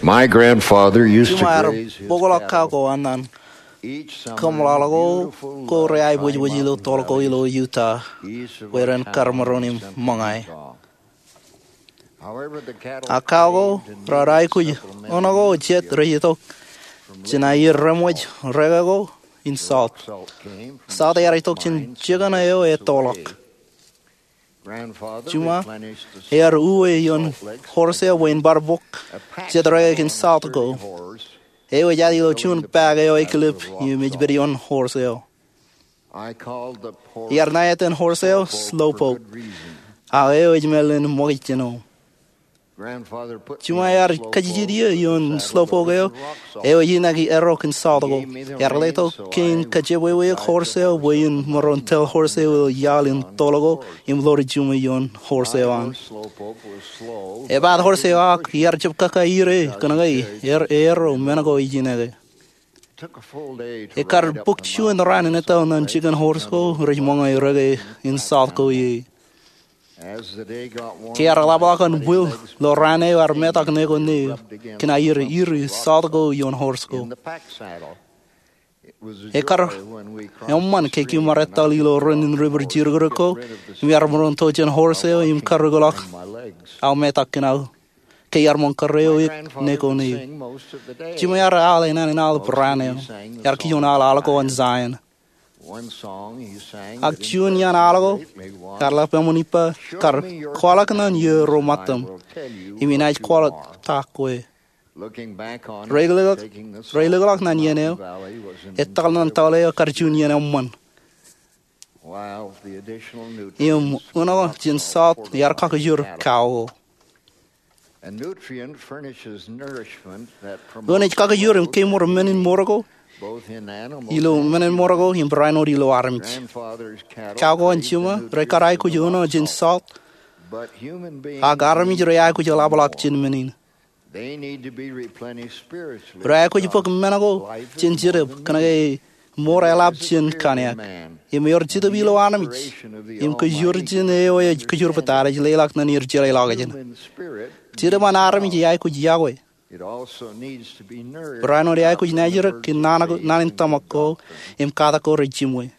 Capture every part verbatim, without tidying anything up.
My grandfather used to Juma ear graze his bōkḷọk cattle. Cow ko an an each summer in kōṃḷaḷḷọk ko beautiful ko ri-aiboojoj ilo tōl ko ilo Utah, where ren kar maroñ im ṃōñā. Ak cow ko raar aikuj eṇ ko jet rej itok jān aier reṃōj reke ko in salt. Salt ear itok jān jikin eo ettoḷọk. Juma ear uwe ioon horse eo bwe in bar bōk jet reke kōn salt ko. Eo ej aet ilo juon bag eo ekilep im ej pād ioon horse eo. Iar ṇa etan horse eo Slowpoke, ak eo ej mālōtlōt ṃōkaj jān eo. Juma ear kajjitōk eō ioon Slowpoke eo, eo ej inaki erro kōn salt ko. Ear letok kein kajepweweiuk horse eo bwe in maroñ tōl horse eo ilo iaḷ in tōl ko im ḷoor juṃwe ioon horse eo an. Epaat horse eo ak iar jab kōkā ire kōnke erro men ko ej ineke. Ekar bōk juon raan in etal ñan jikin horse ko rej ṃōñā reke in salt ko ie. Ke ear ḷapḷọk an bwil ilo raan eo, ear metak neko neō kōn aier iri salt ko ioon horse ko. Ekar eṃṃan ke kōm ar etal ilo ren in river jirōkrōk ko im iar maroñ to jān horse eo im karreoḷọk aō metak kōn aō ke iar ṃōñā kōrā eok neko neō. Juma ear al enana in aḷ bwe raan eo ear kijoñ al aḷ ko an Zion. Ak juon iaan aḷ ko ear lap eṃṃan ippa, kar kwaḷọk ñan iiō ro ṃōttaṃ im inaaj kwaḷọk ta kwe. Reilikḷọk ñan iien eo, ettoḷọk ñan toḷ eo kar juon iien eṃṃan. Im eṇ ko jān salt ear kakajoor cow ko. Eṇ ej kakajoor im kemour men in mour ko ilo men in mour ko im barāinwōt ilo armej. Cow ko an Juma rej kar aikuj eṇ ko jān salt, ak armej rej aikuj eḷapḷọk jān men in. Rej aikuj bōk men ko jān Jetōb kōnke mour eḷap jān kōn eok. Im ewōr Jetōb ilo armej im kōjwōr jān eo ej kōjwōr pād ej leḷọk ñan er jeḷā ḷọkjeṇ. Jetōb an armej ej aikuj yokwe. Barāinwōt ej aikuj naajrōk kōn naan in tōmak ko im katak ko rej jiṃwe.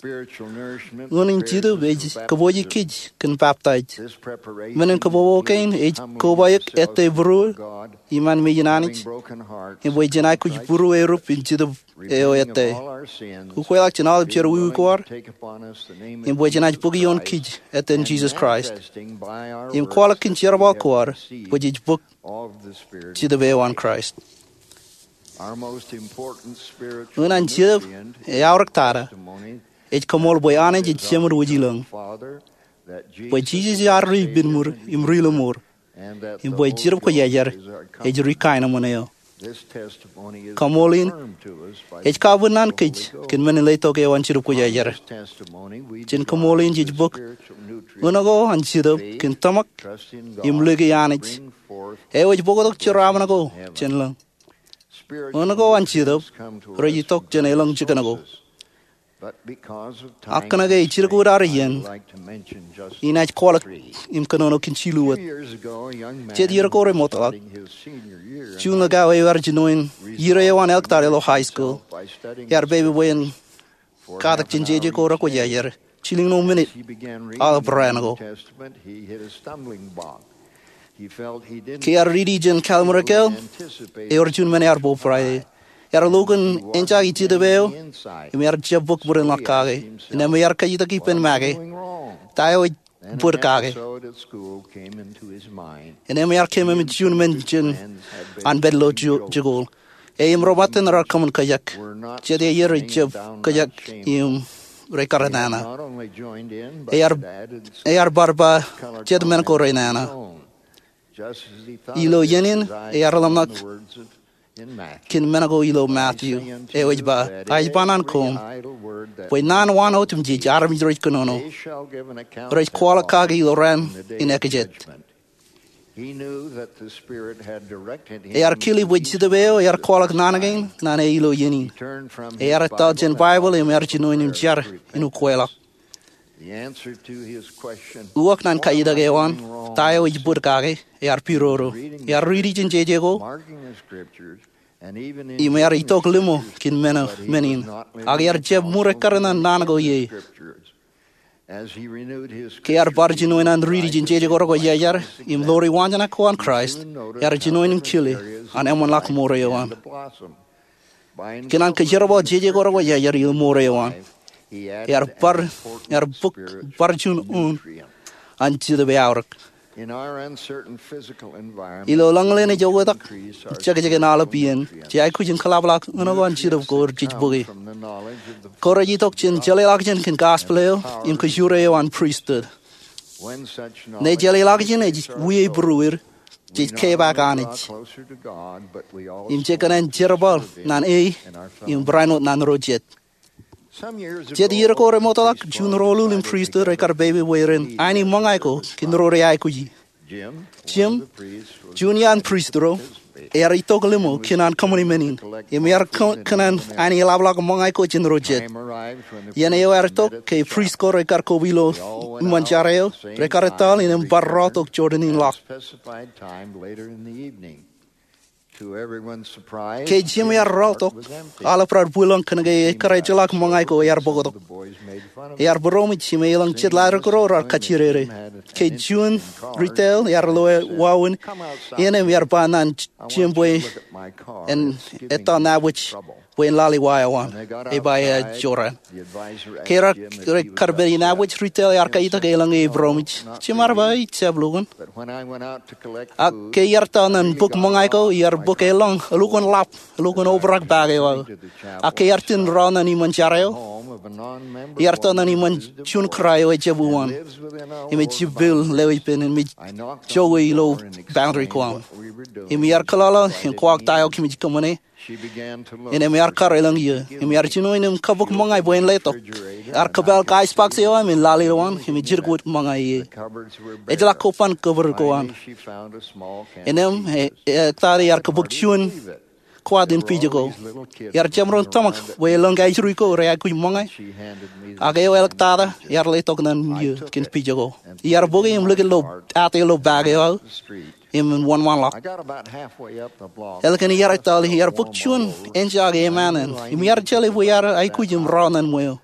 Eṇ in Jetōb ej kōpooje kōj kōn baptaij. Men in kōpopo kein ej koba eok ettā būruō iṃaan mejān Anij, im bwe jen aikuj būruō erup in Jetōb eo ettā. Ukweḷọk jān aolep jerọwiwi ko ad, im bwe jenaaj bōk ioon kōj etan Jisōs Kraist im kwaḷọk kōn jerbal ko ad bwe jej bōk Jetōb eo an Kraist. Eṇ an Jetōb eaorōk tata ej koṃṃool bwe Anij ej Jemān wōj ilōñ, bwe Jisōs ear ri ippān mour im ri lọmọọr, im bwe Jetōb Kwōjarjar ej ri kaenōṃṃan eo. Koṃṃool in ej kabwinaan kōj kōn men in letok eo an Jetōb Kwōjarjar. Jān koṃṃool in jej bōk eṇ ko an Jetōb kōn tōmak im lōke Anij, eo ej bōktok jeraaṃṃan ko jān lōñ. Eṇ ko an Jetōb rej itok jān elōñ jikin ko. Ak kōnke ej jidik wōt ad iien, inaaj kwaḷọk im kōnono kōn jilu wōt. Jet iiō ko remootḷọk, juon likao eo ear jinoin iiō eo an elk eo an ilo high school ear pepe bwe en katak jān jeje ko rekwōjarjar jilñuul minit aolep raan ko. Ke ear riiti jān Kallimrikal, ewōr juon men ear bōbrae. Ear lo kōn enjake Jetōb eo im ear jab bōk bōd in ḷọk kake. Innām ear kajjitōk ippān make, ta eo ej bōd kake? Innām ear keememej juon men jān an pād ilo jikuuḷ. E im ro ṃōttan raar kōṃṃan kōjak. Jet iiō rej jab kōjak im rej kar nana. Ear bar ba jet men ko rej nana. Ilo iien in ear ḷōmṇak kōn men ko ilo Matthew eo ej ba, ij ba ñan koṃ bwe naan waan otemjej armej rej kōnono rej kwaḷọk kake ilo raan in ekajet. Ear kile bwe Jetōb eo ear kwaḷọk naan kein ñan e ilo iien in. Ear etal jān Baibōḷ im ear jinoin im jar in ukweḷọk. Uwok ñan kajitak eo an, ta eo ej bōd kake, ear pidodo. Ear riiti jān jeje ko im ear itok limo kōn men in, ak ear jab ṃure kar ñan naan ko ie. Ke ear bar jinoin an riiti jān jeje ko rekwojarjar im ḷoori waanjoñak ko an Kraist, ear jinoin in kile an eṃṃanḷọk mour eo an. Kōn an kōjerbal jeje ko rekwojarjar ilo mour eo an, ear bar, ear bōk bar juon un an Jetōb eaorōk. Ilo ḷōñḷōñ ej oktak, jekjek in aolep iien, jej aikuj in kōḷapḷọk ṇo ko an Jetōb ko jej bōke. Ko rej itok jān jeḷāḷọkjeṇ kōn gospel eo im kōjure eo an pristut. Ṇe jeḷāḷọkjeṇ ej wie būruod, jej kepaak Anij im jej kōṇaan jerbal ñan e im barāinwōt ñan ro jet. Jet iiō ko remootḷọk, juon ro uḷuḷ in pristut rekar pepe bwe ren aini ṃōñā ko kōn ro reaikuji. Jim, juon iaan prist ro, ear itok limo kōn an kōṃṃani men in im ear kō-, kōṇaan aini eḷapḷọk ṃōñā ko jān ro jet. Iien eo ear itok, ke prist ko rekar koba ilo iṃōn jar eo, rekar etal innām bar rọọltok Jordan in ḷọk. Ke Jim ear rọọltok, aolep raar bwilōñ kōnke ekar ejjeḷọk ṃōñā ko ear bōktok. Ear būroṃōj im eḷaññe jet ḷaddik ro raar kajjidede. Ke juon retail ear lo wāween ien im ear ba ñan Jim bwe en etal nabōj bwe en lale wa eo an. Ej ba ejorrāān. Ke raar, rekar pād in nabōj, retail ear kajitak eḷaññe ej būroṃōj. Jim ear ba ejjab lukkuun. Ak ke iar etal ñan bōk ṃōñā ko, iar bōk eḷọñ elukkuun ḷap, elukkuun obrak paak eo aō. Ak ke iar itōn rọọl ñan iṃōn jar eo, iar etal ñan iṃōn juon kūrā eo ejjab uwaan im ej jibboñ lewōj ippān im ej jowe ilo boundary ko aṃ. Im iar kōḷọḷọ im kwaḷọk ta eo kōmij kōṃṃane. Innām ear kar eḷaññe iiō, im ear jino innām kabok ṃōñā bwe en letok. Ear kōpāl ka ice box eo aṃ im lale ilowaan, im ej jidik wōt ṃōñā ie. Ejjeḷọk koban kōbōd ko an. Innām e, e, ektata ear kabok juon kwaat in pija ko. Ear jab ro tōmak bwe elōñ kaijuri ko reaikuj ṃōñā. Ak eo āliktata ear letok ñan iiō kōn pija ko. Iar bōke im likūt ilo, ate ilo paak eo aō im wōnṃaanḷọk. Ālikin iar etal, iar bōk juon enjake emān in, im iar jeḷā bwe iar aikuj im rọọl ñan ṃweo.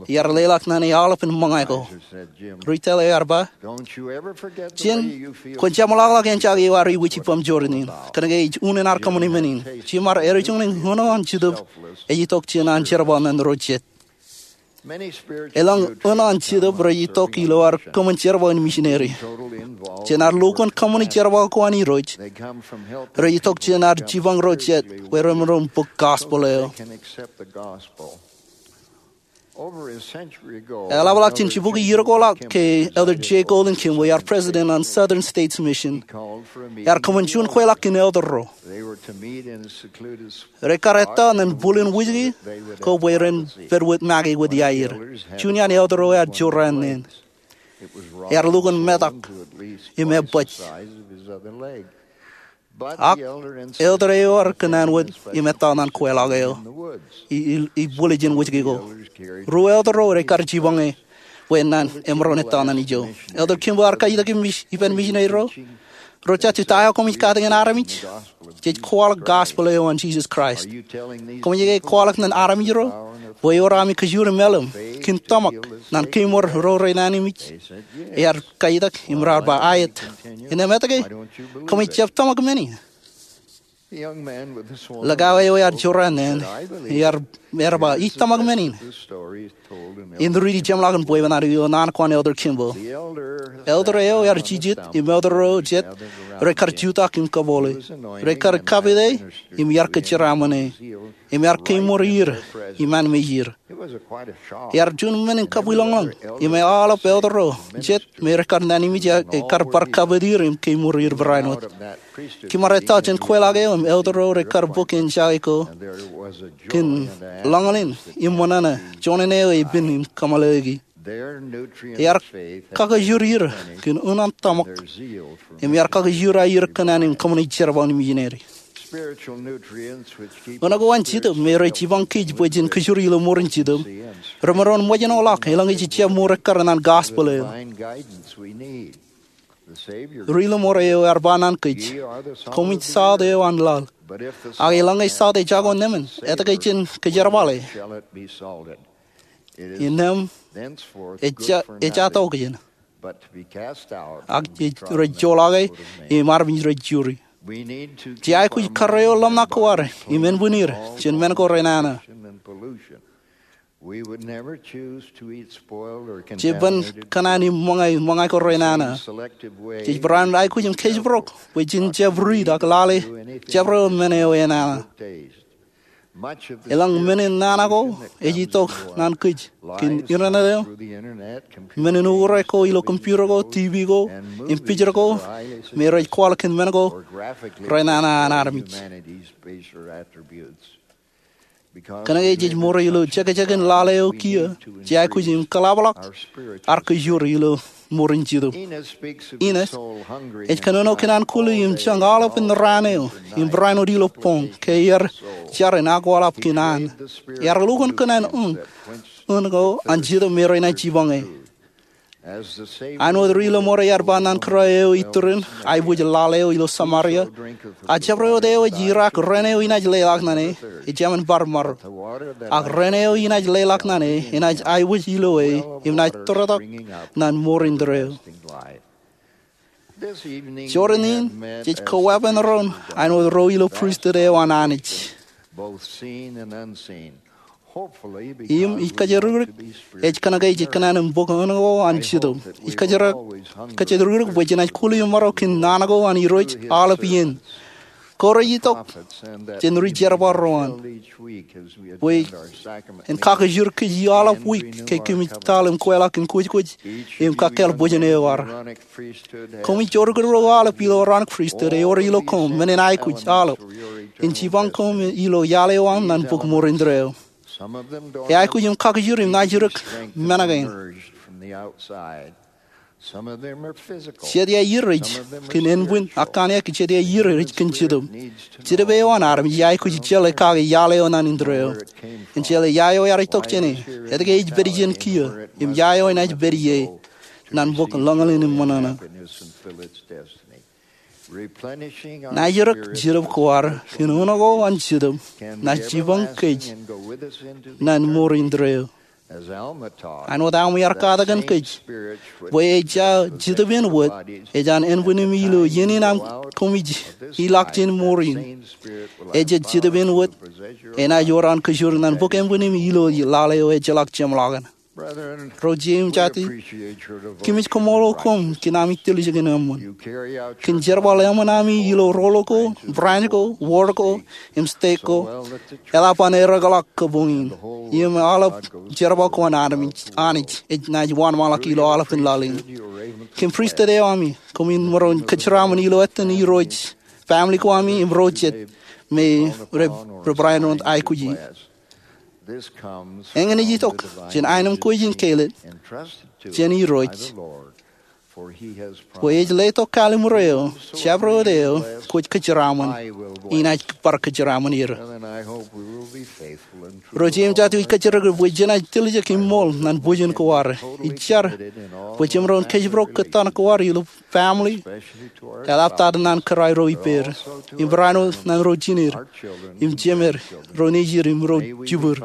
Iar leḷọk ñan e aolepān ṃōñā ko. Retail eo ear ba, Jim, kwōn jeṃḷọkḷọk enjake eo ear iwōj ippaṃ Jordan in, kōnke ej unin ad kōṃṃani men in. Jim ear eddōj ñan eō an Jetōb ej itok jān an jerbal ñan ro jet. Elōñ eō an Jetōb rej itok ilo ad kōṃṃan jerbal in misineri. Jān ad lukkuun kōṃṃani jerbal ko an Irooj, rej itok jān ad jipañ ro jet bwe ren maroñ bōk gospel eo. Eḷapḷọk jān jibukwi iiō ko ḷọk ke Elder J. Golden Kimball ear president an Southern States Mission, ear kōṃṃan juon kweilọk kōn elder ro. Rekar etal ñan bwilin wūjke ko bwe ren pād wōt make wōt iaer. Juon iaan elder ro ear jorrāān neen. Ear lukkuun metak im ebōj. Ak elder eo ear kōnnaan wōt im etal ñan kweilọk eo ilo, ilo bwilin wūjke ko. Ruo elder ro rekar jipañ e bwe en naan emaroñ etal ñan ijo. Elder Kimball ear kajitak ippān misineri ro. Ro jatju, ta eo koṃij katakin armej? Jej kwaḷọk gospel eo an Jisōs Kraist. Koṃij ke kwaḷọk ñan armej ro bwe ewōr ami kajjioñ im ālim kōn tōmak ñan kemour ro renaaj nañinmej? Ear kajitak im raar ba, aet. Innām etke koṃij jab tōmak men in? Likao eo ear jorrāān neen, ear, ear ba, ij tōmak men in. Im riiti jeṃḷọkin bwebwenato ilo naan ko an Elder Kimball. Elder eo ear jijet im elder ro jet rekar jutak im kabole. Rekar kapit e im iar kōjeraaṃṃan e. Im ear kemour er im anmijer. Ear juon men in kabwilōñlōñ. Im aolep elder ro jet me rekar nañinmej ekar bar kapit er im kemour er barāinwōt. Kōm ar etal jān kweilọk eo im elder ro rekar bōk enjake ko kōn lọñlọñ im ṃōṇōṇō, juon eo epen im kōmālōtlōti. Ear kakajur er kōn unin tōmak im ear kakajur aer kōnnaan im kōṃṃani jerbal in misineri. Unọk eo an Jetōb me rej jipañ kōj bwe jen kōjro ilo ṃoor in Jetōb remaroñ ṃōjṇọ ḷọk eḷaññe jej jab ṃoor ekkar ñan gospel eo. Ri-Lọmọọr eo ear ba ñan kōj, koṃij south eo an laḷ. Ak eḷaññe south ejako nemān, etke jen kōjerbale? Innām ejja, ejja tokjān, ak rej joḷọke im armej rej juri. Jej aikuj karreo ḷōmṇak ko ad im ānbwinnid jān men ko renana. Jej ban kōṇaan im ṃōñā, ṃōñā ko renana. Jej barāinwōt aikuj im kōjparok bwe jen jab riit ak lale jabdewōt men eo enana. Eḷaññe men in nana ko ej itok ñan kōj kōn internet eo, men in uñūr ko ilo computer ko, TV ko, im picture ko me rej kwaḷọk kōn men ko renana an armej. Kōnke jej ṃool ilo jekjekin lale eo kiiō, jej aikuj im kōḷapḷọk ad kōjro ilo ṃoor in Jetōb. Enos ej kōnono kōn an kuli im jañ aolepān raan eo im barāinwōt ilo boñ ke ear jar in akwaḷap kōn an. Ear lukkuun kōn an uñ, uñ ko an Jetōb me renaaj jipañ e. Āinwōt Ri-Lọmọọr ear ba ñan kūrā eo iturin aiboojoj lale eo ilo Samaria, a jabdewōt eo ej irak ren eo inaaj leḷọk ñan e, ejāmin bar maro. Ak ren eo inaaj leḷọk ñan e enaaj aiboojoj ilo e im naaj tōrtok ñan ṃoor indeeo. Jorrāān in jej koweeppān doon āinwōt ro ilo pristut eo an Anij. Im ij kōjatdikdik ej kōnke jej kōṇaan im bōk uñ ko an Jetōb. Ij kōjatdikdik bwe jenaaj kuli im maro kōn naan ko an Irooj aolep iien. Ko rej itok jān ri-jerbal ro an, bwe en kakijur kōj aolep wiik ke kōmij taḷ im kweilọk in kwōjkwōj im kakkāāl bōjjān eo ad. Koṃij jodikdik ro aolep ilo Aaronic Pristut ewōr ilo koṃ men in aikuj aolep in jipañ koṃ ilo iaḷ eo aṃ ñan bok ṃoor indeeo. Eaikuj im kakijur im naajdik men kein. Jet iaer rej kōn ānbwin ak kōn jet iaer rej kōn Jetōb. Jetōb eo an armej eaikuj jeḷā kake iaḷ eo ñan indeeo. Ejjeḷā ia eo ear itok jāne, etke ej pād ijin kiiō, im ia eo enaaj pād ie ñan bok lōñlōñ in ṃōṇōṇō. Naajdik Jetōb ko ad kōn uṇ ko an Jetōb naaj jipañ kōj ñan ṃoor indeeo. Āinwōt Alma ear katakin kōj, bwe ejja Jetōb in wōt ej an ānbwin im ilo iien in aṃ koṃij ilọk jān ṃoor in. Ejja Jetōb in wōt enaaj wōr an kōjur ñan bok ānbwin im ilo laḷ eo ejjeḷọk jeṃḷọkin. Ro jeiū im jatū, kōmij koṃṃool koṃ kōn ami tiljek in eṃṃan. Kōn jerbal eṃṃan ami ilo roll ko, branch ko, ward ko, im state ko, eḷap an erekḷọk kōpoñ in. Im aolep jerbal ko an Anij, Anij, enaaj wōnṃaanḷọk ilo aolepān laḷ in. Kōn pristut eo ami, koṃwin maroñ kōjeraaṃṃan ilo ettōn Irooj, family ko ami, im ro jet me rej, rej barāinwōt aikuji. Eñin ej itok jān aenōṃ ko ijin kāālōt jān Irooj, bwe ej letok kallimur eo, jabdewōt eo kwōj kōjeraaṃṃan, inaaj bar kōjeraaṃṃan er. Ro jeiū im jatū, ij kōjatdikdik bwe jenaaj tiljek im ṃool ñan bōjjān ko ad. Ij jar bwe jemaroñ kōjparok kōttan ko ad ilo family, eḷaptata ñan kōrā ro ippād, im barāinwōt ñan ro jined, im jemed, ro nejid, im ro jibwid.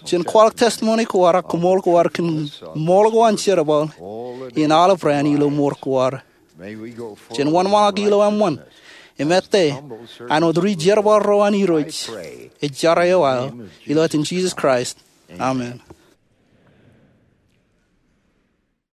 Jen kwaḷọk testimony ko ad ak koṃṃool ko ad kōn ṃool ko an jerbal in aolep raan ilo ṃool ko ad. Jen wōnṃaanḷọk ilo eṃṃan im ettā āinwōt ri-jerbal ro an Irooj. Ij jar eo aō ilo etan Jisōs Kraist. Amen.